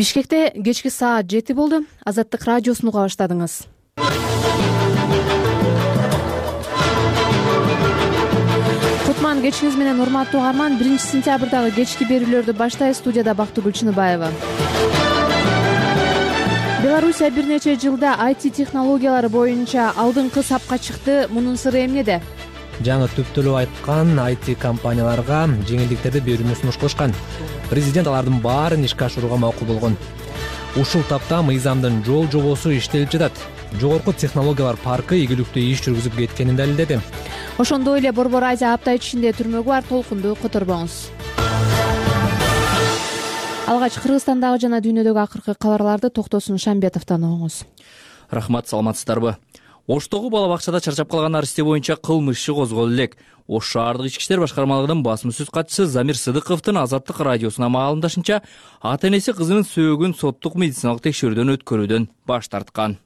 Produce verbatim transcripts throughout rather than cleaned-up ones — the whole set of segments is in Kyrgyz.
Бишкекте кечки саат жети болду. Азаттык радиосун уга баштадыңыз. Кутман кечиңиз менен урматтуу угарман. биринчи сентябрдагы кечки берүүлөрдү баштайбыз. Студияда Бактыгүл Чыныбаева. Белоруссия бир нече жылда ай ти технологиялары боюнча алдыңкы сапка чыкты. Мунун сыры эмнеде? Жаңы түптөлүп айткан ай ти компанияларга жеңилдиктерди берүүнү сунуш кылышкан. Президент алардын баарын ишке ашырууга макул болгон. Ушул тапта мыйзамдын жол жобосу иштелип жатат. Жогорку технологиялар паркы ийгиликтүү иш жүргүзүп кеткенин далилдеди. Ошондой эле Борбор Азия апта ичинде түрмөгү бар. Толкунду которбоңуз. Алгач Кыргызстандагы жана дүйнөдөгү акыркы кабарларды Токтосун Шамбетовдон угуңуз. Рахмат, саламатсыздарбы? Оштогу бала бакчада чарчап калган арсте боюнча кылмыш иши козголду элек. Ош шаардык ички иштер башкармалыгынын басма сөз катчысы Замир Сыдыковдун Азаттык радиосуна маалымдашынча, ата-энеси кызынын сөөгүн соттук медициналык текшерүүдөн өткөрүүдөн баш тарткан.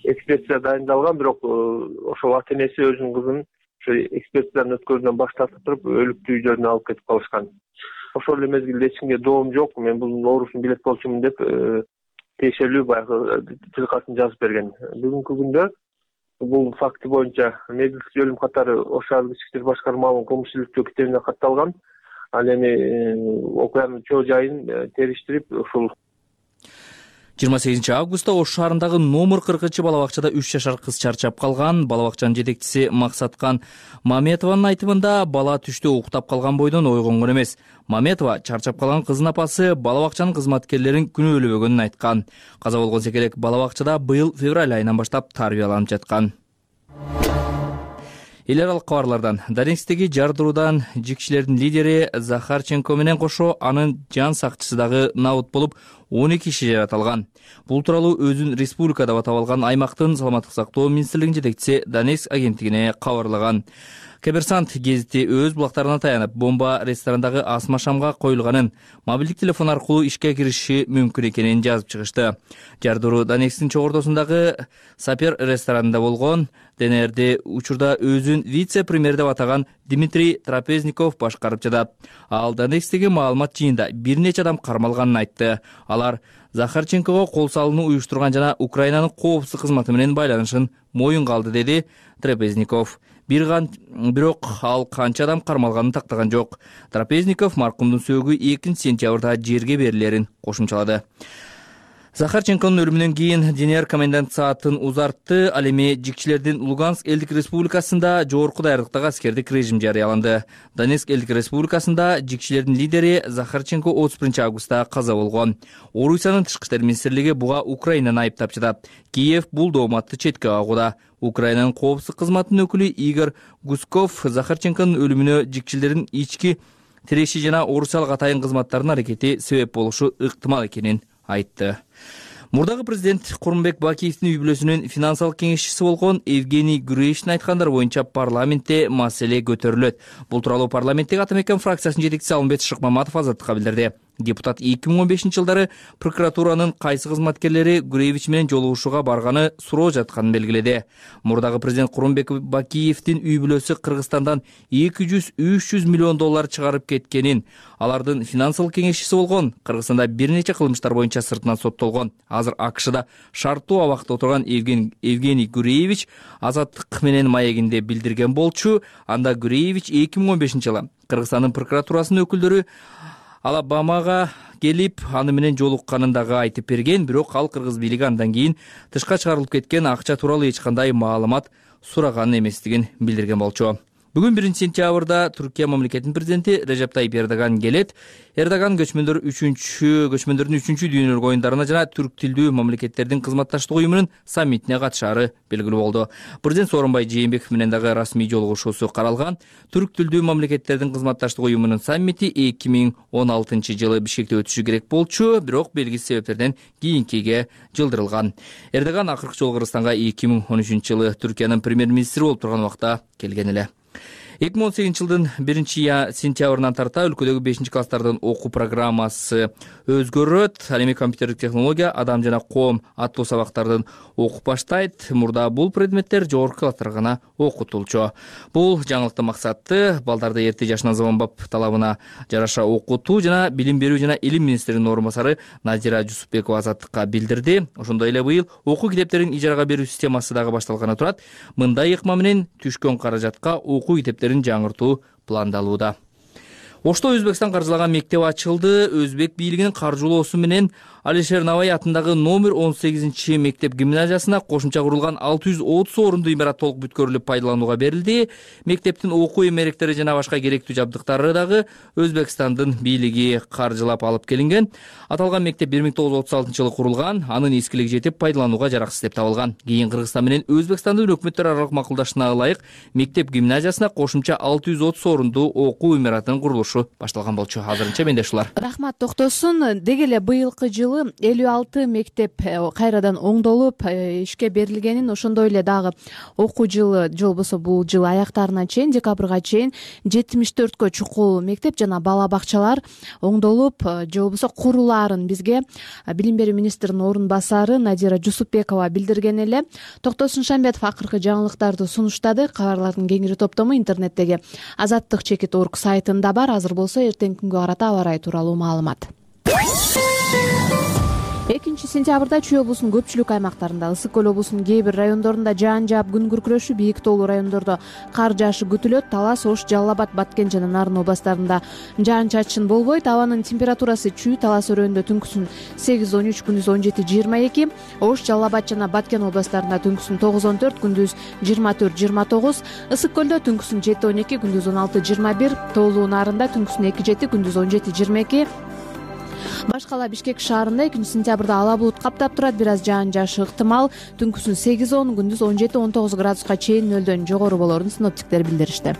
Экспертиза дайындалган, бирок ошол ата-энеси өзүнүн кызын ошо экспертизадан өткөрүүдөн баш тартып туруп, өлүктүү үйдөрүнө алып кетип калышкан. Ошол эле мезгилде эч кимге доом жок, мен бул оорусун билет болчумун деп тиешелүү баягы тилкасын жазып берген. Бүгүнкү күндө бул факты боюнча медицинский өлүм катары Ош шаардык ички иштер башкармалыгынын кылмыш иликтөө китебине катталган. Ал эми окуянын чоо жайын териштирип, ушул жыйырма сегизинчи августта Ош шаарындагы номер кыркынчы бала бакчада үч жашар кыз чарчап калган. Бала бакчанын жетекчиси Максаткан Маметованын айтымында, бала түштө уктап калган бойдон ойгонгон эмес. Маметова чарчап калган кыздын апасы бала бакчанын кызматкерлерин күнөөлөбөгөнүн айткан. Каза болгон секелек бала бакчада быйыл февраль айынан баштап тарбияланып жаткан. Эл аралык кабарлардан Донецктеги жардыруудан жикчилердин лидери Захарченко менен кошо анын жан сакчысы дагы набыт болуп, он эки киши жаратылган. Бул тууралуу өзүн республика деп атап алган аймактын саламаттык сактоо министрлигинин жетекчиси Донецк агенттигине кабарлаган. Коммерсант гезити өз булактарына таянып, бомба ресторандагы асма шамга коюлганын, мобилдик телефон аркылуу ишке кириши мүмкүн экенин жазып чыгышты. Жардыруу Донецктин чогордосундагы Сапер ресторанында болгон. ДНРди учурда өзүн вице-премьер деп атаган Дмитрий Трапезников башкарып жатат. Ал Донецктеги маалымат жыйында бир нече адам кармалганын айтты. Алар Захарченкого кол салууну уюштурган жана Украинанын коопсуздук кызматы менен байланышын моюнга алды, деди Трапезников. Бирок ал канча адам кармалганын тактаган жок. Трапезников маркумдун сөөгү экинчи сентябрда жерге берилерин кошумчалады. Захарченконун өлүмүнөн кийин ДНР комендант саатын узартты. Ал эми жикчилердин Луганск элдик республикасында жогорку даярдыктагы аскердик режим жарыяланды. Донецк элдик республикасында жикчилердин лидери Захарченко отуз биринчи августта каза болгон. Орусиянын тышкы иштер министрлиги буга Украинаны айыптап жатат. Киев бул дооматты четке кагууда. Украинанын коопсуздук кызматынын өкүлү Игорь Гусков Захарченконун өлүмүнө жикчилердин ички тиреши жана орусиялык атайын кызматтарынын аракети себеп болушу ыктымал экенин айтты. Мурдагы президент Курманбек Бакиевдин үй бүлөсүнүн финансылык кеңешчиси болгон Евгений Гуреевичтин айткандары боюнча парламентте маселе көтөрүлөт. Бул тууралуу парламенттеги Ата Мекен фракциясынын жетекчиси Алмет Шыкмаматов Азаттыкка билдирди. Депутат эки миң он бешинчи жылдары прокуратуранын кайсы кызматкерлери Гуреевич менен жолугушууга барганы суроо жатканын белгиледи. Мурдагы президент Курманбек Бакиевдин үй бүлөсү Кыргызстандан эки жүз үч жүз миллион доллар чыгарып кеткенин, алардын финансылык кеңешчиси болгон, Кыргызстанда бир нече кылмыштар боюнча сыртынан соттолгон, азыр АКШда шарттуу абакта отурган Евгений Гуреевич Азаттык менен маегинде билдирген болчу. Анда Гуреевич эки миң он бешинчи жылы Кыргызстандын прокуратурасынын өкүлдөрү Алабамага келип, аны менен жолукканын дагы айтып берген, бирок ал кыргыз бийлиги андан кийин тышка чыгарылып кеткен акча тууралуу эч кандай маалымат сураган эместигин билдирген болчу. Бүгүн биринчи сентябрда Түркия мамлекетинин президенти Режеп Тайип Эрдоган келет. Эрдоган көчмөндөр үчүнчү көчмөндөрдүн үчүнчү дүйнөлүк оюндарына жана түрк тилдүү мамлекеттердин кызматташтык уюмунун саммитине катышаары белгилүү болду. Президент Сооронбай Жээнбеков менен дагы расмий жолугушуусу каралган. Түрк тилдүү мамлекеттердин кызматташтык уюмунун саммити эки миң он алтынчы жылы Бишкекте өтүшү керек болчу, бирок белгисиз себептерден кийинкиге жылдырылган. Эрдоган акыркы жолу Кыргызстанга эки миң он үчүнчү жылы Түркиянын премьер-министри болуп турган убакта келген эле. эки миң он сегизинчи жылдын биринчи сентябрынан тарта өлкөдөгү бешинчи класстардын окуу программасы өзгөрөт. Ал эми компьютердик технология, адам жана коом аттуу сабактардын окуп баштайт. Мурда бул предметтер жогорку класстарга гана окутулчу. Бул жаңылыктын максаты балдарды эрте жашынан заманбап талабына жараша окутуу жана билим берүү жана илим министринин орун басары Назира Жусупбекова Азаттыкка билдирди. Ошондой эле быйыл окуу китептерин ижарага берүү системасы дагы башталганы турат. Мындай ыкма менен түшкөн каражатка окуу китептерин жаңыртуу пландалууда. Ошто Өзбекстан каржылаган мектеп ачылды. Өзбек бийлигинин каржылоосу менен Алишер Навай атындагы номер он сегизинчи мектеп гимназиясына кошумча курулган алты жүз отуз орунду имарат толук бүткөрүлүп пайдаланууга берилди. Мектептин окуу эмеректери жана башка керектүү жабдыктары дагы Өзбекстандын бийлиги каржылап алып келинген. Аталган мектеп бир миң тогуз жүз отуз алтынчы жылы курулган, анын эскилиги жетип пайдаланууга жараксыз деп табылган. Кийин Кыргызстан менен Өзбекстандын өкмөттөр аралык макулдашына ылайык мектеп гимназиясына кошумча алты жүз отуз орунду окуу имаратынын курулушу башталган болчу. Азырынча менде ушулар. Рахмат, токтосун. Деги эле быйылкы жылы элүү алты мектеп кайрадан оңдолуп ишке берилгенин, ошондой эле дагы окуу жылы же болбосо бул жыл аяктарына чейин, декабрга чейин жетимиш төрткө чукул мектеп жана бала бакчалар оңдолуп же болбосо курулаарын бизге билим берүү министринин орун басары Назира Жусупбекова билдирген эле. Токтосун Шамбетов акыркы жаңылыктарды сунуштады. Кабарлардын кеңири топтому интернеттеги азаттык чекит точка орг сайтында бар. Азыр болсо эртеңки күнгө карата аба ырайы тууралуу маалымат. экинчи сентябрда Чүй облусунун көпчүлүк аймактарында, Ысык көл облусунун кээ бир райондорунда жаан жаап күн күркүрөшү, бийик тоолуу райондордо кар жаашы күтүлөт. Талас, Ош, Жалал Абад, Баткен жана Нарын областарында жаан чачын болбойт. Абанын температурасы Чүй, Талас өрөөнүндө түнкүсүн сегиз он үч, күндүз он жети жыйырма эки, Ош, Жалал Абад жана Баткен областарында түнкүсүн тогуз он төрт, күндүз жыйырма төрт жыйырма тогуз, Ысык көлдө түнкүсүн жети он эки, күндүз он алты жыйырма бир, тоолуу Нарында түнкүсүн эки жети, күндүз он жети жыйырма эки. Башкала Бишкек шаарында экинчи сентябрда ала булут каптап турат, бир аз жаан жаашы ыктымал. Түнкүсүн сегиз он, күндүз он жети он тогуз градуска чейин нөлдөн жогору болорун синоптиктер билдиришти.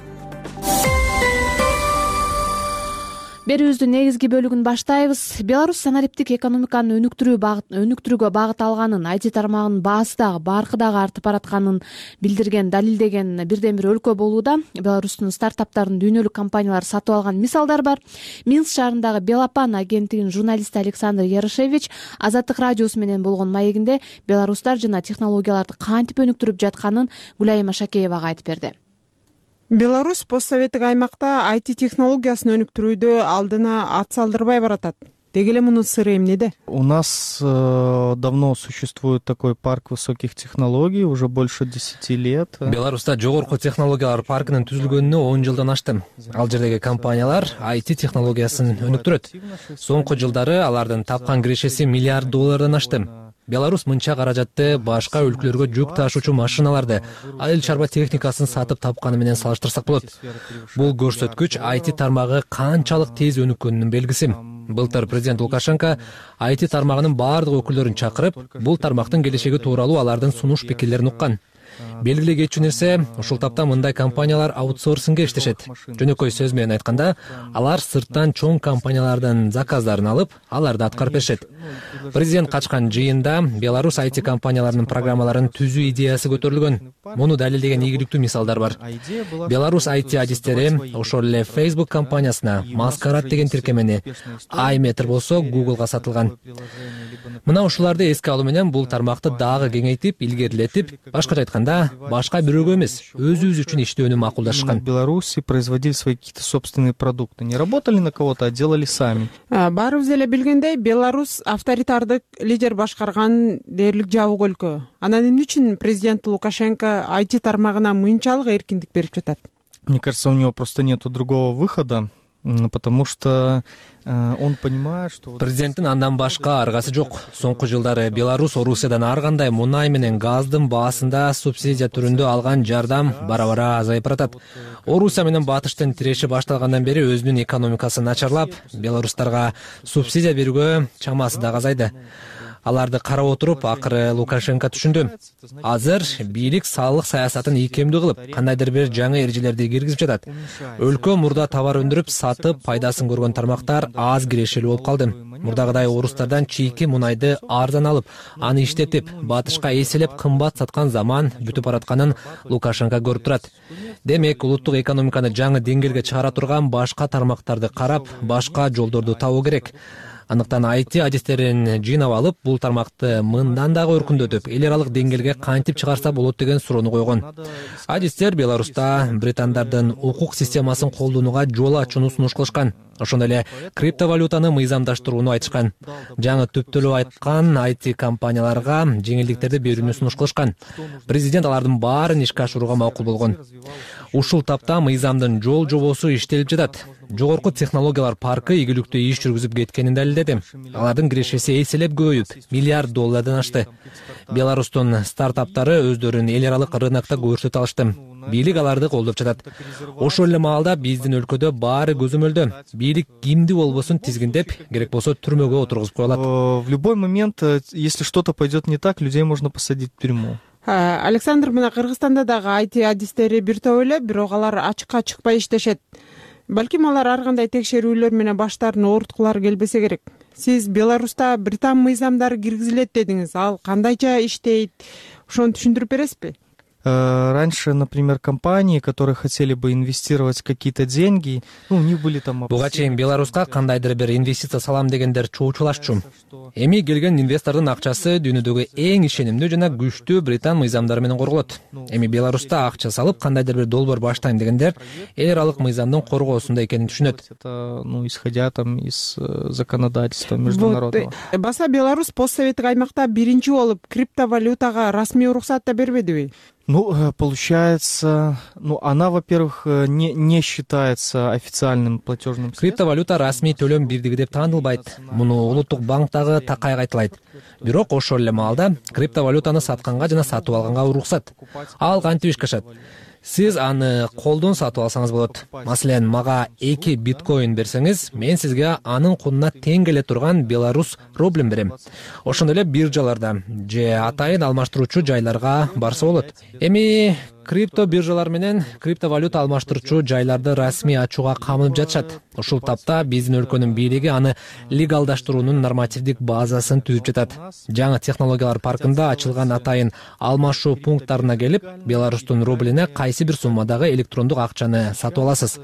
Берүүбүздүн негизги бөлүгүн баштайбыз. Беларусь санариптик экономиканы өнүктүрүү багыт өнүктүрүүгө багыт алганын, ай ти тармагынын баасы дагы баркы дагы артып баратканын билдирген, далилдеген бирден бир өлкө болууда. Беларустун стартаптарын дүйнөлүк компаниялар сатып алган мисалдар бар. Минск шаарындагы Белапан агенттигинин журналисти Александр Ярошевич Азаттык радиосу менен болгон маегинде беларустар жана технологияларды кантип өнүктүрүп жатканын Гүлайым Ашакеевага айтып берди. Беларусь постсоветтик аймакта ай ти технологиясын өнүктүрүүдө алдына ат салдырбай баратат. Деги эле мунун сыры эмнеде? У нас э, давно существует такой парк высоких технологий, уже больше десяти лет. Беларуста жогорку технологиялар паркынын түзүлгөнүнө он жылдан ашты. Ал жердеги компаниялар ай ти технологиясын өнүктүрөт. Соңку жылдары алардын тапкан кирешеси миллиард доллардан ашты. Беларусь мынча каражатты башка өлкөлөргө жүк ташуучу машиналарды, айыл чарба техникасын сатып тапканы менен салыштырсак болот. Бул көрсөткүч ай ти тармагы канчалык тез өнүккөнүнүн белгиси. Былтыр президент Лукашенко ай ти тармагынын баардык өкүлдөрүн чакырып, бул тармактын келечеги тууралуу алардын сунуш пикирлерин уккан. Белгилүү кетчү нерсе, ушул тапта мындай компаниялар аутсорсингге иштешет. Жөнөкөй сөз менен айтканда, алар сырттан чоң компаниялардан заказдарын алып, аларды аткарып беришет. Президент качкан жыйында Беларусь ай ти компанияларынын программаларын түзүү идеясы көтөрүлгөн. Муну далилдеген ийгиликтүү мисалдар бар. Беларусь ай ти адистери ошол эле Facebook компаниясына Маскарад деген тиркемени, iMeter болсо Googleга сатылган. Мына ушуларды эске алуу менен бул тармакты дагы кеңейтип, илгерилетип, башкача айтканда, башка бирөөгө эмес, өзүбүз үчүн иштөөнү макулдашкан. В Беларуси производили свои какие-то собственные продукты. Не работали на кого-то, а делали сами. Баарыбыз эле билгендей, Беларусь авторитардык лидер башкарган дээрлик жабык өлкө. Анан эмне үчүн президент Лукашенко ай ти тармагына мынчалык эркиндик берип жатат? Мне кажется, у него просто нету другого выхода. Потому что э, он понимает, что... Президенттин андан башка аргасы жок. Соңку жылдары Беларусь Орусиядан ар кандай мунай менен газдын баасында субсидия түрүндө алган жардам бара-бара азайып баратат. Орусия менен батыштын тиреши башталгандан бери өзүнүн экономикасы начарлап, беларустарга субсидия берүүгө чамасы да азайды. Аларды карап отуруп, акыры Лукашенко түшүндү. Азыр бийлик салык саясатын ийкемдүү кылып, кандайдыр бир жаңы эрежелерди киргизип жатат. Өлкө мурда товар өндүрүп, сатып, пайдасын көргөн тармактар аз кирешелүү болуп калды. мурдагыдай орустардан чийки мунайды арзан алып, аны иштетип, батышка эселеп кымбат саткан заман бүтүп баратканын Лукашенко көрүп турат. Демек, улуттук экономиканы жаңы деңгээлге чыгара турган башка тармактарды карап, башка жолдорду табуу керек. Андыктан ай ти адистерин жыйнап алып, бул тармакты мындан дагы өркүндөтүп, эл аралык деңгээлге кантип чыгарса болот деген суроону койгон. Адистер Беларуста британдардын укук системасын колдонууга жол ачууну сунуш кылышкан. Ошондой эле криптовалютаны мыйзамдаштырууну айтышкан. Жаңы түптөлүп айткан ай ти компанияларга жеңилдиктерди берүүнү сунуш кылышкан. Президент алардын баарын ишке ашырууга макул болгон. Ушул тапта мыйзамдын жол жобосу иштелип жатат. Жогорку технологиялар паркы ийгиликтүү иш жүргүзүп кеткенин далилдеди. Алардын кирешеси эселеп көбөйүп, миллиард доллардан ашты. Беларустун стартаптары өздөрүн эл аралык рынокто көрсөтө алышты. Бийлик аларды колдоп жатат. Ошол эле маалда биздин өлкөдө баары көзөмөлдө. Бийлик кимди болбосун тизгиндеп, керек болсо түрмөгө отургузуп коюлат. В любой момент, если что-то пойдет не так, людей можно посадить в тюрьму. Александр, мына Кыргызстанда дагы ай ти адистери бир топ эле, бирок алар ачыкка чыкпай иштешет. Балким алар ар кандай текшерүүлөр менен баштарын ооруткулары келбесе керек. Сиз Беларуста британ мыйзамдары киргизилет дедиңиз. Ал кандайча иштейт? Ошону түшүндүрүп бересизби? Раньше, например, компании, которые хотели бы инвестировать какие-то деньги, ну, у них были там... Буга чейин Беларуска кандайдыр бир инвестиция салам дегендер чоочулашчу. Эми келген инвестордун акчасы дүйнөдөгү эң ишенимдүү жана күчтүү британ мыйзамдары менен корголот. Эми Беларуста акча салып, кандайдыр бир долбоор баштайм дегендер эл аралык мыйзамдын коргоосунда экенин түшүнөт. Это, ну, исходя там из законодательства международного. Вот. Баса Беларусь постсоветтик аймакта биринчи болуп криптовалютага расмий уруксат да бербедиби? Ну, получается, ну, она, во-первых, не, не считается официальным платежным средством. Криптовалюта расмий төлөм бирдиги деп таанылбайт. Муну улуттук банктагы такай айтылайт. Бирок ошол эле маалда криптовалютаны сатканга жана сатып алганга уруксат. Ал кантип ишке ашат? Сиз аны колдон сатып алсаңыз болот. Маселен, мага эки биткоин берсеңиз, мен сизге анын кунуна тең келе турган Беларусь рублин берем. Ошондой эле биржаларда же атайын алмаштыруучу жайларга барса болот. Эми крипто биржалар менен криптовалюта алмаштыруучу жайларды расмий ачууга камынып жатышат. Ушул тапта биздин өлкөнүн бийлиги аны легалдаштыруунун нормативдик базасын түзүп жатат. Жаңы технологиялар паркында ачылган атайын алмашуу пункттарына келип, Беларустун рублине кайсы бир суммадагы электрондук акчаны сатып аласыз.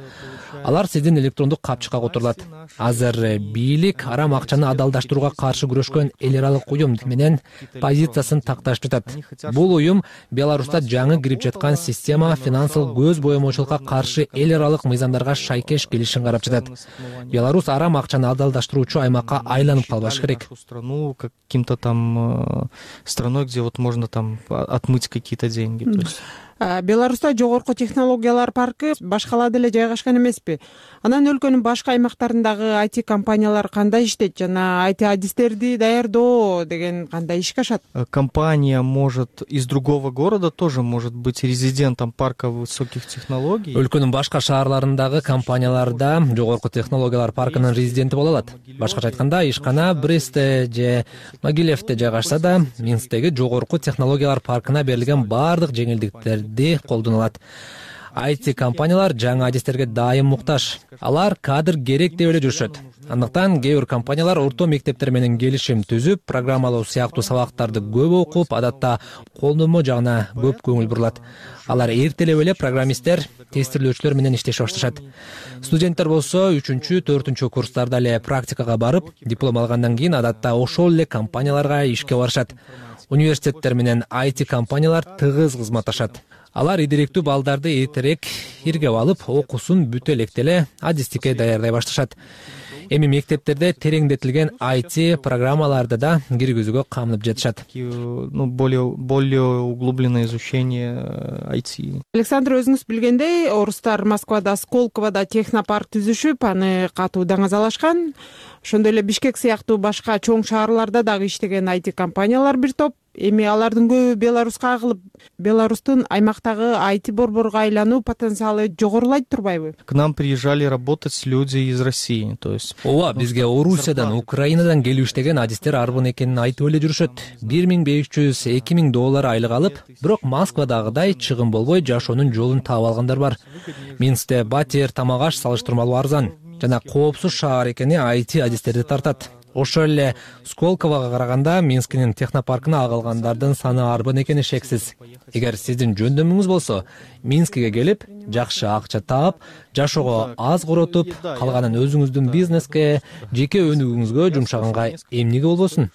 Алар сиздин электрондук капчыкка которулат. Азыр бийлик арам акчаны адалдаштырууга каршы күрөшкөн эл аралык уюм менен позициясын такташып жатат. Бул уюм Беларуста жаңы кирип жаткан система финансылык көз боемоочулукка каршы эл аралык мыйзамдарга шайкеш келишин карап жатат. Беларусь арам акчаны адалдаштыруучу аймакка айланып калбаш керек. Страну каким-то там страной, где вот можно там отмыть какие-то деньги. То есть Беларуста жогорку технологиялар паркы башкалада эле жайгашкан эмеспи? Анан өлкөнүн башка аймактарындагы ай ти компаниялар кандай иштейт жана ай ти адистерди даярдоо деген кандай ишке ашат? Компания может из другого города тоже может быть резидентом парка высоких технологий. Өлкөнүн башка шаарларындагы компанияларда жогорку технологиялар паркынын резиденти боло алат. Башкача айтканда, ишкана Брестте же Могилевте жайгашса да, Минсктеги жогорку технологиялар паркына берилген бардык жеңилдиктер колдоно алат. ай ти компаниялар жаңы адистерге дайым муктаж. Алар кадр керек деп эле жүрүшөт. Андыктан кээ бир компаниялар орто мектептер менен келишим түзүп, программалоо сыяктуу сабактарды көп окуп, адатта колдонмо жагына көп көңүл бурулат. Алар эртелеп эле программисттер, тестирлөөчүлөр менен иштеше башташат. Студенттер болсо үчүнчү, төртүнчү курстарда эле практикага барып, диплом алгандан кийин адатта ошол эле компанияларга ишке барышат. Университеттер менен ай ти компаниялар тыгыз кызматташат. Алар идиректүү балдарды эртерээк иргеп алып, окуусун бүтө электе эле адистикке даярдай башташат. Эми мектептерде тереңдетилген ай ти программаларды да киргизүүгө камынып жатышат. Ну, более более углубленное изучение ай ти. Александр, өзүңүз билгендей, орустар Москвада Сколковода технопарк түзүшүп, аны катуу даңазалашкан. Ошондой эле Бишкек сыяктуу башка чоң шаарларда дагы иштеген ай ти компаниялар бир топ. Эми алардын көбү Беларуска агылып, Беларустун аймактагы ай ти борборго айлануу потенциалы жогорулайт турбайбы? К нам приезжали работать люди из России, то есть. Ооба, бизге Орусиядан, Украинадан келип иштеген адистер арбын экенин айтып эле жүрүшөт. бир миң беш жүз, эки миң доллар айлык алып, бирок Москвадагыдай чыгым болбой жашоонун жолун таап алгандар бар. Минскте батир, тамак аш салыштырмалуу арзан жана коопсуз шаар экени ай ти адистерди тартат. ошол эле Сколкового караганда Минскинин технопаркына агылгандардын саны арбын экени шексиз. Эгер сиздин жөндөмүңүз болсо, Минскиге келип, жакшы акча таап, жашоого аз коротуп, калганын өзүңүздүн бизнеске, жеке өнүгүүңүзгө жумшаганга эмнеге болбосун?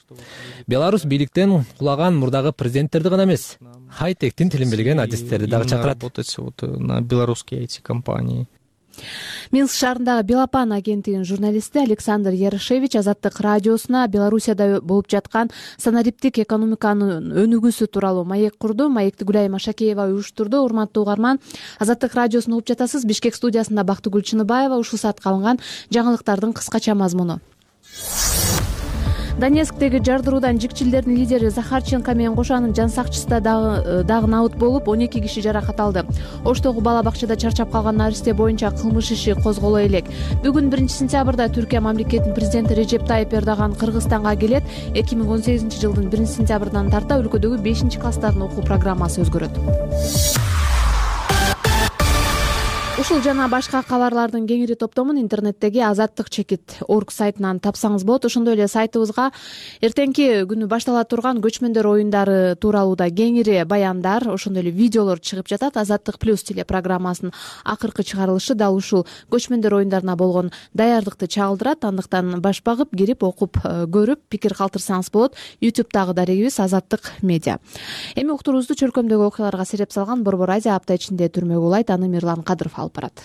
Беларусь бийликтен кулаган мурдагы президенттерди гана эмес, хай-тектин тилин билген адистерди дагы чакырат. Работать вот на белорусские ай ти-компании. Минск шаарындагы Белопан агенттигинин журналисти Александр Ярошевич Азаттык радиосуна Белоруссияда болуп жаткан санариптик экономиканын өнүгүүсү тууралуу маек курду. Маекти Гүлайым Ашакеева уюштурду. Урматтуу угарман, Азаттык радиосун угуп жатасыз. Бишкек студиясында Бактыгүл Чыныбаева. Ушул саатка алынган жаңылыктардын кыскача мазмуну. Донецктеги жардыруудан жикчилдердин лидери Захарченко менен кошо анын жан сакчысы да дагы дагы набыт болуп, он эки киши жаракат алды. Оштогу бала бакчада чарчап калган наристе боюнча кылмыш иши козголо элек. Бүгүн биринчи сентябрда Түркия мамлекетинин президенти Режеп Тайып Эрдоган Кыргызстанга келет. эки миң он сегизинчи жылдын биринчи сентябрынан тарта өлкөдөгү бешинчи класстардын окуу программасы өзгөрөт. Ушул жана башка кабарлардын кеңири топтомун интернеттеги азаттык чекит точка орг сайтынан тапсаңыз болот. Ошондой эле сайтыбызга эртеңки күнү баштала турган көчмөндөр оюндары тууралуу да кеңири баяндар, ошондой эле видеолор чыгып жатат. Азаттык плюс телепрограммасынын акыркы чыгарылышы дал ушул көчмөндөр оюндарына болгон даярдыкты чагылдырат. Андыктан баш багып, кирип, окуп, көрүп, пикир калтырсаңыз болот. ютубтагы дарегибиз Азаттык медиа. Эми уктуруубузду чөлкөмдөгү окуяларга сереп салган Борбор Азия апта ичинде түрмөгө улайт. Аны Мирлан Кадыров алып барат.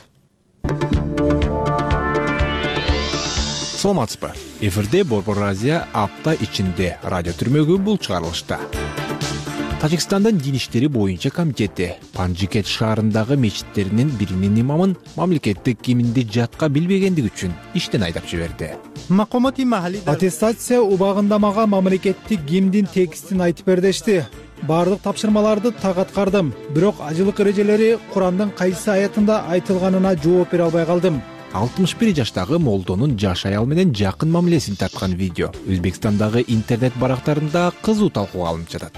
Саламатсызбы? Эфирде Борбор Азия апта ичинде радио түрмөгү бул чыгарылышта. Тажикстандын дин иштери боюнча комитети Панжикет шаарындагы мечиттеринин биринин имамын мамлекеттик киминди жатка билбегендиги үчүн иштен айдап жиберди. Аттестация убагында мага мамлекеттик гимндин текстин айтып бер дешти. Бардык тапшырмаларды так аткардым, бирок ажылык эрежелери Курандын кайсы аятында айтылганына жооп бере албай калдым. алтымыш бир жаштагы молдонун жаш аял менен жакын мамилесин тарткан видео Өзбекстандагы интернет барактарында кызуу талкууга алынып жатат.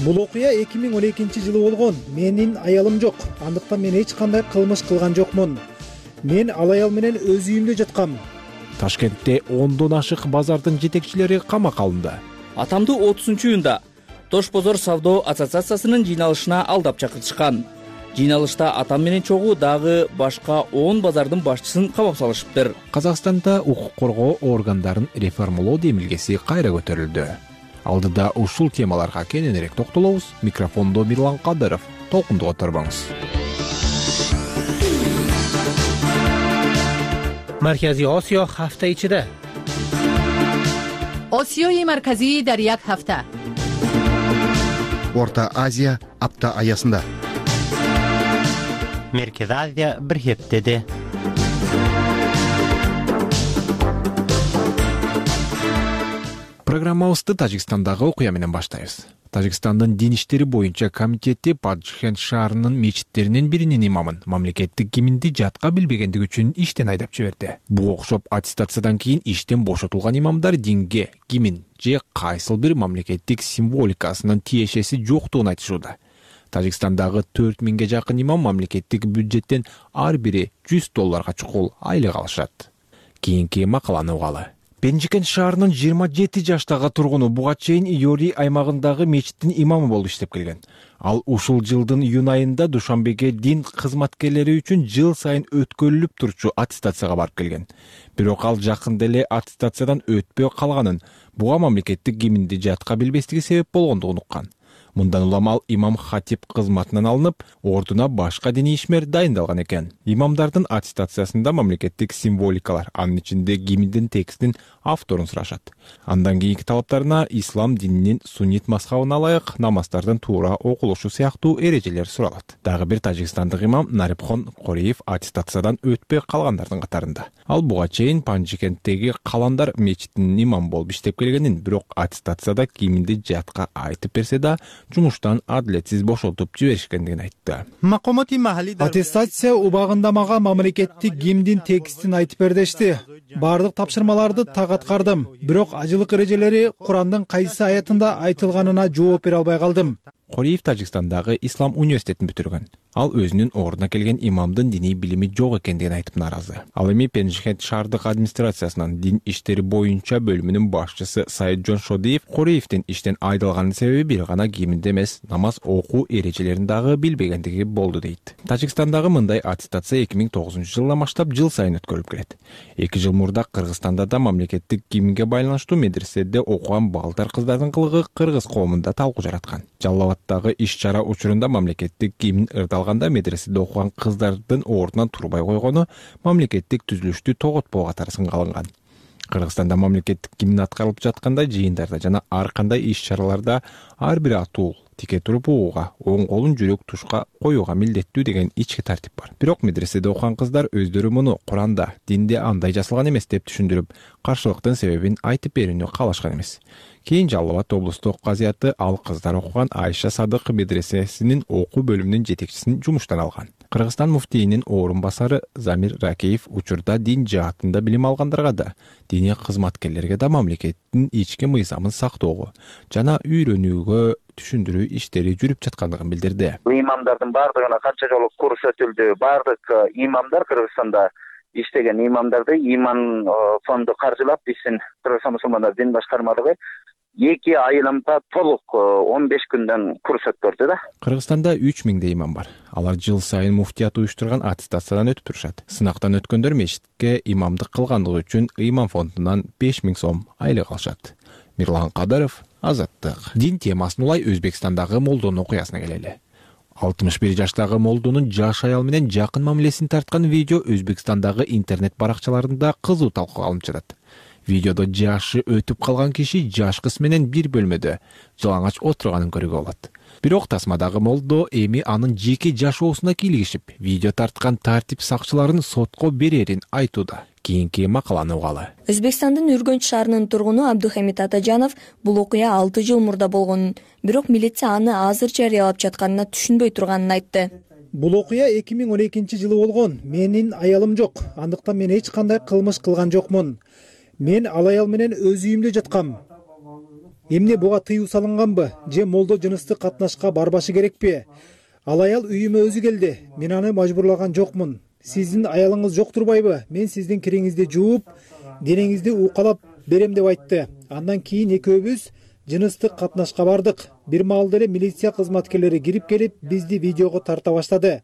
Бул окуя эки миң он экинчи жылы болгон. Менин аялым жок. Андыктан мен эч кандай кылмыш кылган жокмун. Мен ал аял менен өз үйүмдө жаткам. Ташкентте ондон ашык базардын жетекчилери камакка алынды. Атамды отузунчу июнда Тош Бозор савдо ассоциациясынын жыйналышына алдап чакыртышкан. Жыйналышта атам менен чогуу дагы башка он базардын башчысын камап салышыптыр. Казакстанда укук коргоо органдарын реформалоо демилгеси кайра көтөрүлдү. Алдыда ушул темаларга кененирээк токтолобуз. Микрофондо Мирлан Кадыров. Толкунду отурбаңыз. Маркази Осиё ҳафта ичида. Осиёи марказӣ дар як ҳафта. Орта Азия апта аясында. Merkezi Азия bir heftede. Программабызды Тажикстандагы окуя менен баштайбыз. Тажикстандын дин иштери боюнча комитети Панжикет шаарынын мечиттеринин биринин имамын мамлекеттик гимнди жатка билбегендиги үчүн иштен айдап жиберди. Буга окшоп аттестациядан кийин иштен бошотулган имамдар динге, гимн же кайсыл бир мамлекеттик символикасынын тиешеси жоктугун айтышууда. Тажикстандагы төрт миңге жакын имам мамлекеттик бюджеттен ар бири жүз долларга чукул айлык алышат. Кийинки макаланы угалы. Пенжикент шаарынын жыйырма жети жаштагы тургуну буга чейин Йори аймагындагы мечиттин имамы болуп иштеп келген. Ал ушул жылдын июнь айында Душанбеге дин кызматкерлери үчүн жыл сайын өткөрүлүп турчу аттестацияга барып келген. Бирок ал жакында эле аттестациядан өтпөй калганын, буга мамлекеттик гимнди жатка билбестиги себеп болгондугун уккан. Мындан улам ал имам хатип кызматынан алынып, ордуна башка диний ишмер дайындалган экен. Имамдардын аттестациясында мамлекеттик символикалар, анын ичинде гимндин текстин авторун сурашат. Андан кийинки талаптарына ислам дининин суннит мазхабына ылайык намаздардын туура окулушу сыяктуу эрежелер суралат. Дагы бир тажикстандык имам Нарипхон Кореев аттестациядан өтпөй калгандардын катарында. Ал буга чейин Панжикенттеги Каландар мечитинин имам болуп иштеп келгенин, бирок аттестацияда гимнди жатка айтып берсе да жумуштан адилетсиз бошотуп жиберишкендигин айтты. Аттестация убагында мага мамлекеттик гимндин текстин айтып бер дешти. Бардык тапшырмаларды так аткардым, бирок ажылык эрежелери Курандын кайсы аятында айтылганына жооп бере албай калдым. Кореев Тажикстандагы Ислам университетин бүтүргөн. Ал өзүнүн ордуна келген имамдын диний билими жок экендигин айтып нааразы. Ал эми Пенжихент шаардык администрациясынын дин иштери боюнча бөлүмүнүн башчысы Сайытжон Шодиев Кореевдин иштен айдалганын себеби бир гана кийиминде эмес, намаз окуу эрежелерин дагы билбегендиги болду дейт. Тажикстандагы мындай аттестация эки миң тогузунчу жылдан баштап жыл сайын өткөрүлүп келет. эки жыл мурда Кыргызстанда да мамлекеттик гимнге байланыштуу медреседе окуган балдар кыздардын кылыгы кыргыз коомунда талкуу жараткан. Жалал Абаддагы иш-чара учурунда мамлекеттик гимн ырдалганда медреседе окуган кыздардын ордунан турбай койгону мамлекеттик түзүлүштү тоготпоо катары сынга алынган. Кыргызстанда мамлекеттик гимн аткарылып жатканда жыйындарда жана ар кандай иш-чараларда ар бир атуу тике туруп угууга, оң колун жүрөк тушка коюуга милдеттүү деген ички тартип бар. Бирок медреседе окуган кыздар өздөрү муну Куранда, динде андай жазылган эмес деп түшүндүрүп, каршылыктын себебин айтып берүүнү каалашкан эмес. Кийин Жалал Абад облустук казыяты ал кыздар окуган Айша Садык медресесинин окуу бөлүмүнүн жетекчисин жумуштан алган. Кыргызстан муфтийинин орун басары Замир Ракеев учурда дин жаатында билим алгандарга да, диний кызматкерлерге да мамлекеттин ички мыйзамын сактоого жана үйрөнүүгө түшүндүрүү иштери жүрүп жаткандыгын билдирди. Имамдардын бардыгына канча жолу курс өтүлдү. Бардык имамдар Кыргызстанда иштеген имамдарды иман фонду каржылап, биздин Кыргызстан мусулмандар дин башкармалыгы эки айламда толук он беш күндөн курс өткөрдү да. Кыргызстанда үч миңдей имам бар. Алар жыл сайын муфтият уюштурган аттестациядан өтүп турушат. Сынактан өткөндөр мечитке имамдык кылгандыгы үчүн имам фондунан беш миң сом айлык алышат. Мирлан Кадыров, Азаттык. Дин темасын улай Өзбекстандагы молдонун окуясына келели. алтымыш бир жаштагы молдонун жаш аял менен жакын мамилесин тарткан видео Өзбекстандагы интернет баракчаларында кызуу талкууга алынып жатат. Видеодо жашы өтүп калган киши жаш кыз менен бир бөлмөдө жалаңач отурганын көрүүгө болот. Бирок тасмадагы молдо эми анын жеке жашоосуна кийлигишип, видео тарткан тартип сакчыларын сотко берерин айтууда. Кийинки макаланы угалы. Өзбекстандын Үргөнч шаарынын тургуну Абдухамид Атажанов бул окуя алты жыл мурда болгонун, бирок милиция аны азыр жарыялап жатканына түшүнбөй турганын айтты. Бул окуя эки миң он экинчи жылы болгон. Менин аялым жок. Андыктан мен эч кандай кылмыш кылган жокмун. Мен ал аял менен өз үйүмдө жаткам. Эмне буга тыюу салынганбы? Же молдо жыныстык катнашка барбашы керекпи? Ал аял үйүмө өзү келди. Мен аны мажбурлаган жокмун. Сиздин аялыңыз жок турбайбы? Мен сиздин кириңизди жууп, денеңизди укалап берем деп айтты. Андан кийин экөөбүз жыныстык катнашка бардык. Бир маалда эле милиция кызматкерлери кирип келип, бизди видеого тарта баштады.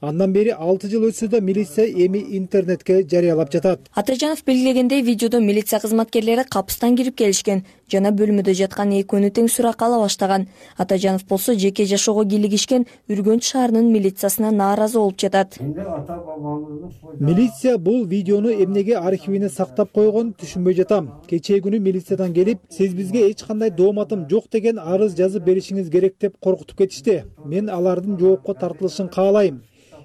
Андан бери алты жыл өтсө да милиция эми интернетке жарыялап жатат. Атажанов белгилегендей, видеодо милиция кызматкерлери капыстан кирип келишкен жана бөлмөдө жаткан экөөнү тең суракка ала баштаган. Атажанов болсо жеке жашоого кийлигишкен Үргөнч шаарынын милициясына нааразы болуп жатат. Милиция бул видеону эмнеге архивине сактап койгон түшүнбөй жатам. Кечээ күнү милициядан келип, сиз бизге эч кандай дооматым жок деген арыз жазып беришиңиз керек деп коркутуп кетишти. Мен алардын жоопко тартылышын каалайм.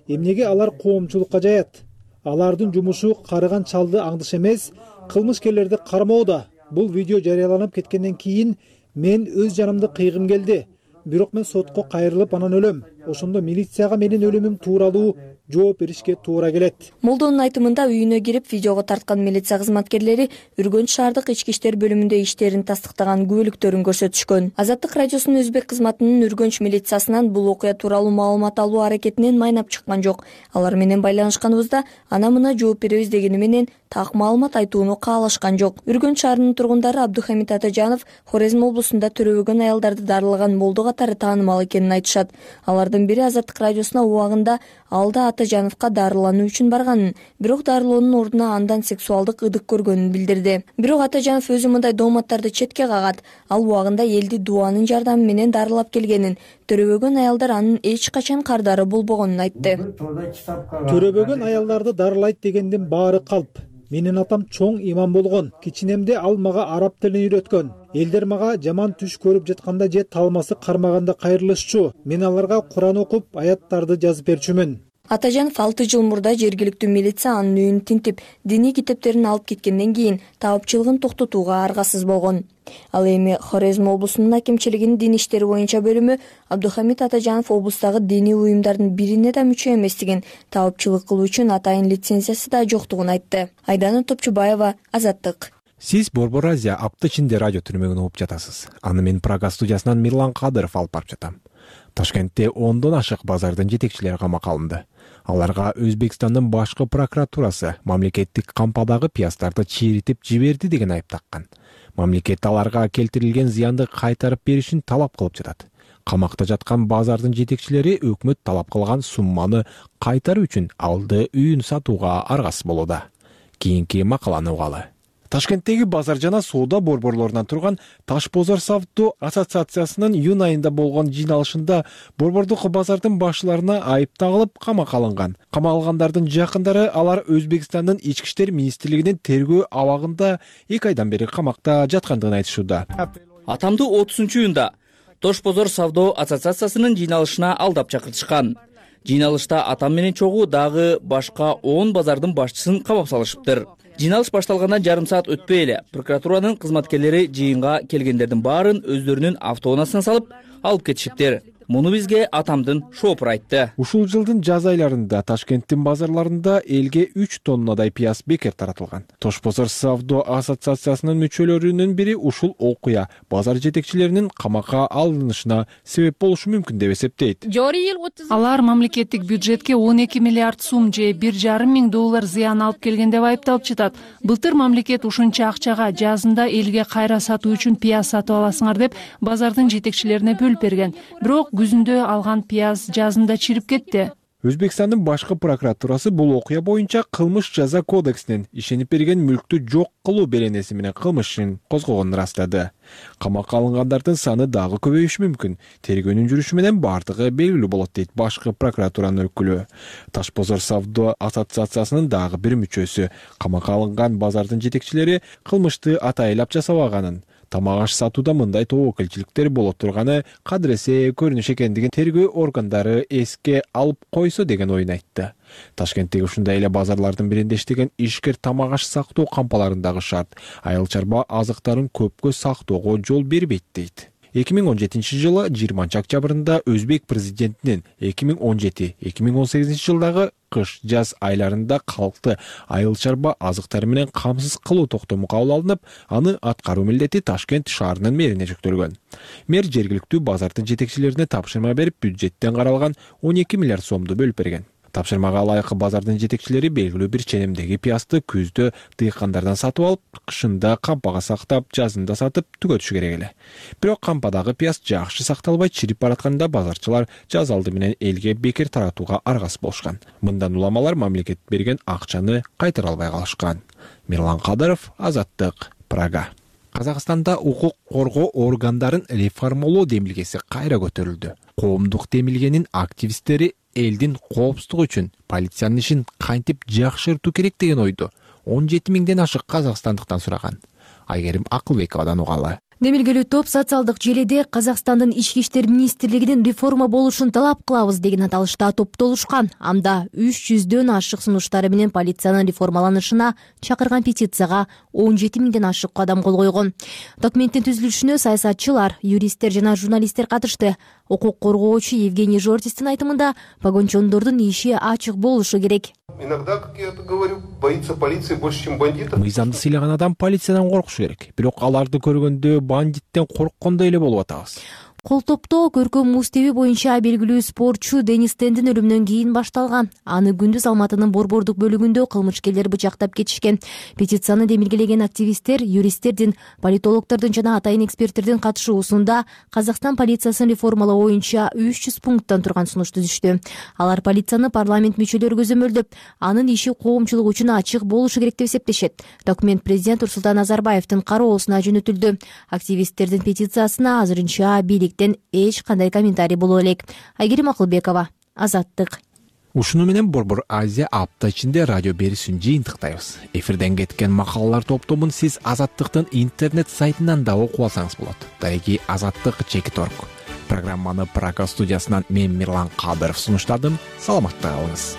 Эмнеге алар коомчулукка жаят? Алардын жумушу карыган чалды аңдыш эмес, кылмышкерлерди кармоо да. Бул видео жарыяланып кеткенден кийин мен өз жанымды кыйгым келди. Бирок мен сотко кайрылып анан өлөм. Ошондо милицияга менин өлүмүм тууралуу жооп беришке туура келет. Молдонун айтымында үйүнө кирип видеого тарткан милиция кызматкерлери Үргөнч шаардык ички иштер бөлүмүндө иштерин тастыктаган күбөлүктөрүн көрсөтүшкөн. Азаттык радиосунун өзбек кызматынын Үргөнч милициясынан бул окуя тууралуу маалымат алуу аракетинен майнап чыккан жок. Алар менен байланышканыбызда ана мына жооп беребиз дегени менен так маалымат айтууну каалашкан жок. Үргөнч шаарынын тургундары Абдухамид Атажанов Хорезм облусунда төрөбөгөн аялдарды дарылаган молдо катары таанымал экенин айтышат. Алардын бири Азаттык радиосуна убагында алда Атажановго дарылануу үчүн барганын, бирок дарылоонун ордуна андан сексуалдык ыдык көргөнүн билдирди. Бирок Атажанов өзү мындай дооматтарды четке кагат. Ал убагында элди дуанын жардамы менен дарылап келгенин, төрөбөгөн аялдар анын эч качан кардары болбогонун айтты. Төрөбөгөн аялдарды дарылайт дегендин баары калп. Менин атам чоң имам болгон. Кичинемде ал мага араб тилин үйрөткөн. Элдер мага жаман түш көрүп жатканда же талмасы кармаганда кайрылышчу. Мен аларга Куран окуп, аяттарды жазып берчүмүн. Атажанов алты жыл мурда жергиликтүү милиция анын үйүн тинтип, диний китептерин алып кеткенден кийин таапчылыгын токтотууга аргасыз болгон. Ал эми Хорезм облусунун акимчилигинин дин иштери боюнча бөлүмү Абдухамид Атажанов облустагы диний уюмдардын бирине да мүчө эместигин, таапчылык кылуу үчүн атайын лицензиясы да жоктугун айтты. Айдана Топчубаева, Азаттык. Сиз Борбор Азия апта ичинде радио түрмөгүн угуп жатасыз. Аны мен Прага студиясынан Мирлан Кадыров алып барып жатам. Ташкентте ондон ашык базардын жетекчилери камакка алынды. Аларга Өзбекстандын башкы прокуратурасы мамлекеттик кампадагы пияздарды чиритип жиберди деген айып таккан. Мамлекет аларга келтирилген зыянды кайтарып беришин талап кылып жатат. Камакта жаткан базардын жетекчилери өкмөт талап кылган сумманы кайтаруу үчүн алды үйүн сатууга аргасыз болууда. Кийинки макаланы угалы. Ташкенттеги базар жана соода борборлорунан турган Таш бозор савдо ассоциациясынын июнь айында болгон жыйналышында борбордук базардын башчыларына айып тагылып камакка алынган. Камалгандардын жакындары алар Өзбекстандын ички иштер министрлигинин тергөө абагында эки айдан бери камакта жаткандыгын айтышууда. Атамды отузунчу июнда Тош бозор савдо ассоциациясынын жыйналышына алдап чакыртышкан. Жыйналышта атам менен чогуу дагы башка он базардын башчысын камап салышыптыр. Жыйналыш башталгандан жарым саат өтпөй эле прокуратуранын кызматкерлери жыйынга келгендердин баарын өздөрүнүн автоунаасына салып алып кетишиптир. Муну бизге атамдын шоопуру айтты. Ушул жылдын жаз айларында Ташкенттин базарларында элге үч тоннадай пияз бекер таратылган. Тош бозор савдо ассоциациясынын мүчөлөрүнүн бири ушул окуя базар жетекчилеринин камакка алынышына себеп болушу мүмкүн деп эсептейт. Алар мамлекеттик бюджетке он эки миллиард сум же бир жарым миң доллар зыян алып келген деп айыпталып жатат. Былтыр мамлекет ушунча акчага жазында элге кайра сатуу үчүн пияз сатып аласыңар деп базардын жетекчилерине бөлүп берген. Бирок күзүндө алган пияз жазында чирип кетти. Өзбекстандын башкы прокуратурасы бул окуя боюнча кылмыш жаза кодексинин ишенип берген мүлктү жок кылуу беренеси менен кылмыш ишин козгогонун ырастады. Камакка алынгандардын саны дагы көбөйүшү мүмкүн. Тергөөнүн жүрүшү менен бардыгы белгилүү болот дейт башкы прокуратуранын өкүлү. Таш бозор савдо ассоциациясынын дагы бир мүчөсү камакка алынган базардын жетекчилери кылмышты атайлап жасабаганын, тамак аш сатууда мындай тобокелчиликтер боло турганы кадыресе көрүнүш экендигин тергөө органдары эске алып койсо деген оюн айтты. Ташкенттеги ушундай эле базарлардын биринде иштеген ишкер тамак аш сактоо кампаларындагы шарт айыл чарба азыктарын көпкө сактоого жол бербейт дейт. эки миң он жетинчи жылы жыйырманчы октябрында Өзбек президентинин эки миң он жети эки миң он сегизинчи жылдагы кыш жаз айларында калкты айыл чарба азыктары менен камсыз кылуу токтому кабыл алынып, аны аткаруу милдети Ташкент шаарынын мэрине жүктөлгөн. Мэр жергиликтүү базардын жетекчилерине тапшырма берип, бюджеттен каралган он эки миллиард сомду бөлүп берген. Тапшырмага ылайык базардын жетекчилери белгилүү бир ченемдеги пиязды күздө дыйкандардан сатып алып, кышында кампага сактап, жазында сатып түгөтүшү керек эле. Бирок кампадагы пияз жакшы сакталбай чирип баратканда базарчылар жаз алды менен элге бекер таратууга аргасыз болушкан. Мындан уламалар мамлекет берген акчаны кайтара албай калышкан. Мирлан Кадыров, Азаттык, Прага. Казакстанда укук коргоо органдарын реформалоо демилгеси кайра көтөрүлдү. Коомдук демилгенин активисттери элдин коопсуздугу үчүн полициянын ишин кантип жакшыртуу керек деген ойду он жети миңден ашык казакстандыктан сураган. Айгерим Акылбековадан угалы. Демилгелүү топ социалдык желиде Казакстандын ички иштер министрлигинин реформа болушун талап кылабыз деген аталышта топтолушкан. Анда үч жүздөн ашык сунуштары менен полициянын реформаланышына чакырган петицияга он жети миңден ашык адам кол койгон. Документтин түзүлүшүнө саясатчылар, юристтер жана журналисттер катышты. Укук коргоочу Евгений Жортистин айтымында погончондордун иши ачык болушу керек. Иногда, как я это говорю, боится полиции больше, чем бандитов. Мыйзамды сыйлаган адам полициядан коркушу керек. Бирок аларды көргөндө бандиттен корккондой эле болуп атабыз. Кол топтоо көркөм муз тебүү боюнча белгилүү спортчу Денис Тендин өлүмүнөн кийин башталган. Аны күндүз Алматынын борбордук бөлүгүндө кылмышкерлер бычактап кетишкен. Петицияны демилгелеген активисттер, юристтердин, политологдордун жана атайын эксперттердин катышуусунда Казакстан полициясын реформалоо боюнча үч жүз пункттан турган сунуш түзүштү. Алар полицияны парламент мүчөлөрү көзөмөлдөп, анын иши коомчулук үчүн ачык болушу керек деп эсептешет. Документ президент Нурсултан Назарбаевдин кароосуна жөнөтүлдү. Активисттердин петициясына азырынча бийлик эч кандай комментарий боло элек. Айгерим Акылбекова, Азаттык. Ушуну менен Борбор Азия апта ичинде радио берүүсүн жыйынтыктайбыз. Эфирден кеткен макалалар топтомун сиз Азаттыктын интернет сайтынан да окуп алсаңыз болот. Тайги Азаттык чекит орг. Программаны Прага студиясынан мен Мирлан Кадыров сунуштадым. Саламатта калыңыз.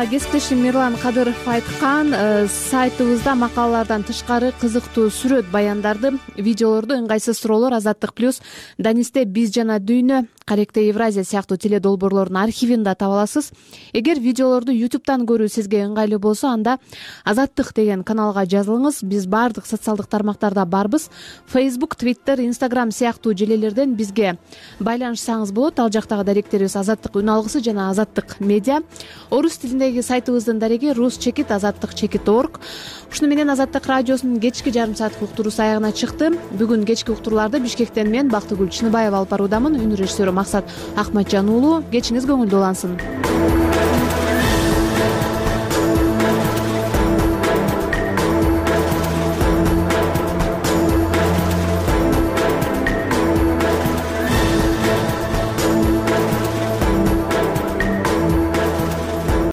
Кесиптешим Мирлан Кадыров айткан, сайтыбызда макалалардан тышкары кызыктуу сүрөт, баяндарды, видеолорду, ыңгайсыз суроолор, Азаттык плюс, Данисте биз жана дүйнө, Каректе Евразия сыяктуу теле долбоорлордун архивин да таба аласыз. Эгер видеолорду ютубтан көрүү сизге ыңгайлуу болсо, анда Азаттык деген каналга жазылыңыз. Биз баардык социалдык тармактарда барбыз. Facebook, Twitter, Instagram сыяктуу желелерден бизге байланышсаңыз болот. Ал жактагы даректерибиз Азаттык үн алгысы жана Азаттык медиа. Орус тилиндеги сайтыбыздын дареги рус чекит азаттык чекит орг. Ушуну менен Азаттык радиосунун кечки жарым сааттык уктуруусу аягына чыкты. Бүгүн кечки уктурууларды Бишкектен мен Бактыгүл Чыныбаева алып баруудамын. Үн режиссеру Максат Акматжан уулу. Кечиңиз көңүлдүү улансын.